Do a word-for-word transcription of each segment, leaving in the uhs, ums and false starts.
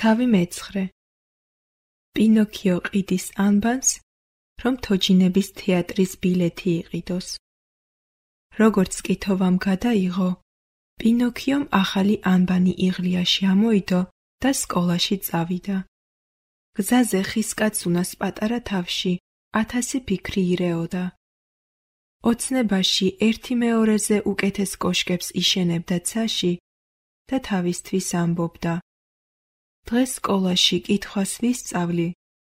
თავი მეცხრე. პინოქიო ყიდის ანბანს, რომ თოჯინების თეატრის ბილეთი იყიდოს. როგორც კითოვამ გადაიღო, პინოქიომ ახალი ანბანი იღლიაში ამოიდო და სკოლაში წავიდა. გზაზე ხისკაცუნას პატარა თავში ათასი ფიქრი ირეოდა. ოცნებაში ერთი მეორეზე უკეთეს კოშკებს იშენებდა ცაში და თავისთვის ამბობდა: დღეს სკოლაში კითხვას ვისწავლი,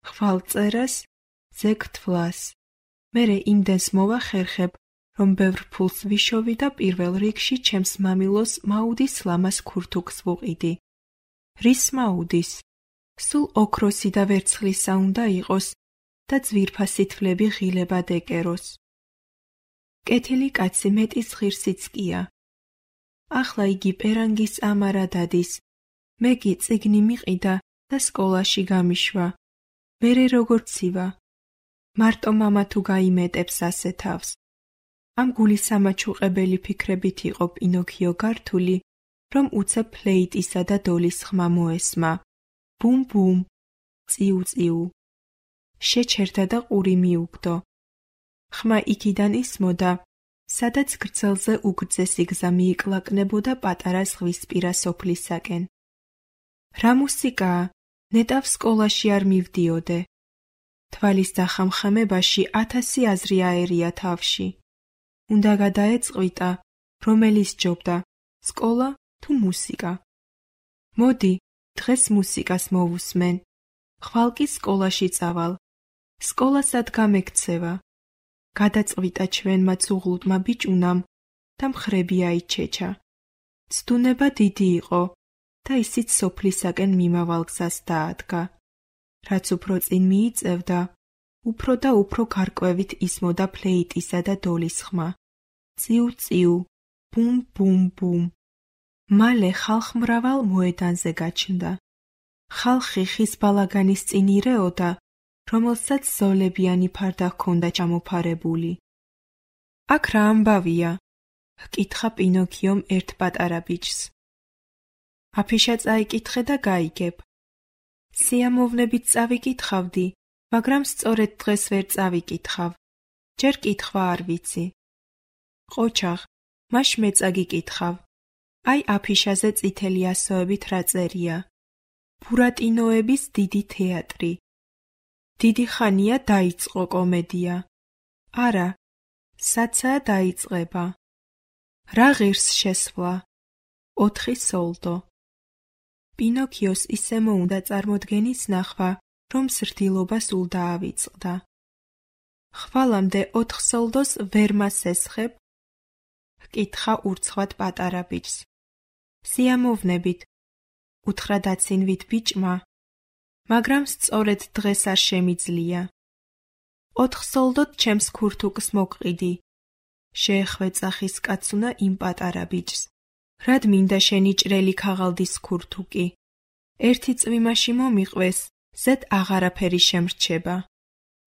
ხვალ წერას, ზეგ თვლას. მერე იმდენს მოვახერხებ, რომ ბევრ ფულს ვიშოვი და პირველ რიგში ჩემს მამილოს მაუდის ლამას ქურთუქს ვუყიდი. რის მაუდის? სულ ოქროსი და ვერცხლისა უნდა იყოს და ძვირფასი თვლები ღილებად ეკეროს. კეთილი კაცი მეტის ღირსიც კია. ახლა იგი პერანგის ამარა დადის. მე კი წიგნი მიყიდა და სკოლაში გამიშვა. მერე როგორ ცივა? მარტო მამა თუ გაიმეტებს ასე თავს. ამ გულისამაჩუყებელი ფიქრებით იყო პინოქიო გართული, რომ უცებ ფლეიტისა და დოლის ხმა მოესმა. ბუმ ბუმ, წიუ წიუ. შეჩერდა და ყური მიუგდო. ხმა იქიდან ისმოდა, სადაც გრძელზე უგრძესი გზა მიიკლაკნებოდა პატარა ზღვისპირა სოფლისაკენ. რა მუსიკაა? ნეტავ სკოლაში არ მივდიოდე. თვალის დახამხამებაში ათასი აზრი აერია თავში. უნდა გადაეწყვიტა, რომელი სჯობდა, სკოლა თუ მუსიკა. მოდი, დღეს მუსიკას მოვუსმენ. ხვალ კი სკოლაში წავალ. სკოლა სად გამექცევა? გადაწყვიტა ჩვენმა ცუღლუტმა ბიჭუნამ და მხრები აიჩეჩა. ცდუნება დიდი იყო და ისიც სოფლისაკენ მიმავალ გზას დაადგა. რაც უფრო წინ მიიწევდა, უფრო და უფრო გარკვევით ისმოდა ფლეიტისა და დოლის ხმა. წიუ წიუ, ბუმ ბუმ ბუმ. მალე ხალხმრავალ მოედანზე გაჩნდა. ხალხი ხის ბალაგანის წინ ირეოდა, რომელსაც ზოლებიანი ფარდა ჰქონდა ჩამოფარებული. აქ რა ამბავია? ჰკითხა პინოქიომ ერთ პატარა ბიჭს. აფიშა წაიკითხე და გაიგებ. სიამოვნებით წავიკითხავდი, მაგრამ სწორედ დღეს ვერ წავიკითხავ. ჯერ კითხვა არ ვიცი. ყოჩაღ, მაშ მე წაგიკითხავ. აი აფიშაზე წითელი ასოებით რა წერია? ბურატინოების დიდი თეატრი. დიდი ხანია დაიწყო კომედია. არა, საცაა დაიწყება. რა ღირს შესვლა? ოთხი სოლდო. პინოქიოს ისე მოუნდა წარმოდგენის ნახვა, რომ სრდილობა სულ დაავიწყდა. ხვალამდე ოთხ სოლდოს ვერ მასესხებ? ჰკითხა ურცხვად პატარა ბიჭს. სიამოვნებით, უთხრა დაცინვით ბიჭმა, მაგრამ სწორედ დღეს არ შემიძლია. ოთხ სოლდოდ ჩემს ქურთუკს მოგყიდი. შეეხვეწა ხისკაცუნა იმ პატარა ბიჭს. რად მინდა შენი ჭრელი ქაღალდის ქურთუკი? ერთი წვიმაში მომიყვეს, ზედ აღარაფერი შემრჩება.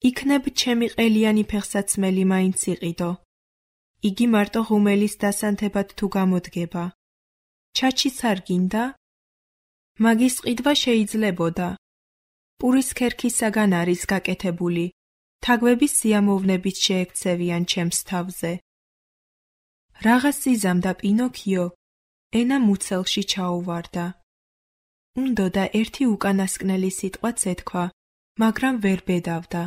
იქნებ ჩემი ყელიანი ფეხსაცმელი მაინც იყიდო. იგი მარტო ღუმელის დასანთებად თუ გამოდგება. ჩაჩიც არ გინდა? მაგის ყიდვა შეიძლებოდა. პურის ქერქისაგან არის გაკეთებული. თაგვების სიამოვნებით შეექცევიან ჩემს თავზე. რაღაც იზამდა პინოქიო, ენა მუცელში ჩაუვარდა. უნდოდა ერთი უკანასკნელი სიტყვაც ეთქვა, მაგრამ ვერ ბედავდა.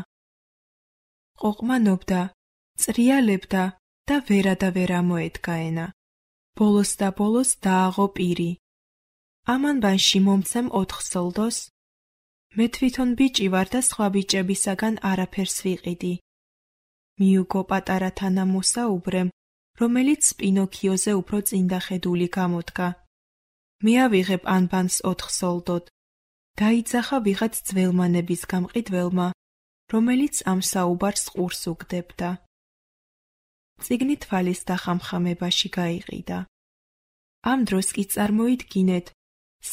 ყოყმანობდა, წრიალებდა და ვერა და ვერ ამოედგა ენა. ბოლოს და ბოლოს დააღო პირი. ამ ანბანში მომცემ ოთხ სოლდოს? მე თვითონ ბიჭი ვარ და სხვა ბიჭებისაგან არაფერს ვიყიდი. მიუგო პატარა თანამოსაუბრემ, რომელიც პინოქიოზე უფრო წინდახედული გამოდგა. მე ავიღებ ანბანს ოთხ სოლდოდ. დაიძახა ვიღაც ძველმანების გამყიდველმა, რომელიც ამ საუბარს ყურს უგდებდა. წიგნი თვალის დახამხამებაში გაიყიდა. ამ დროს კი წარმოიდგინეთ,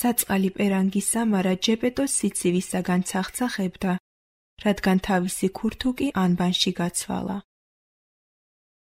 საწყალი პერანგის სამარა ჯეპეტოს სიცივისაგან ცახცახებდა, რადგან თავისი ქურთუკი ანბანში გაცვალა.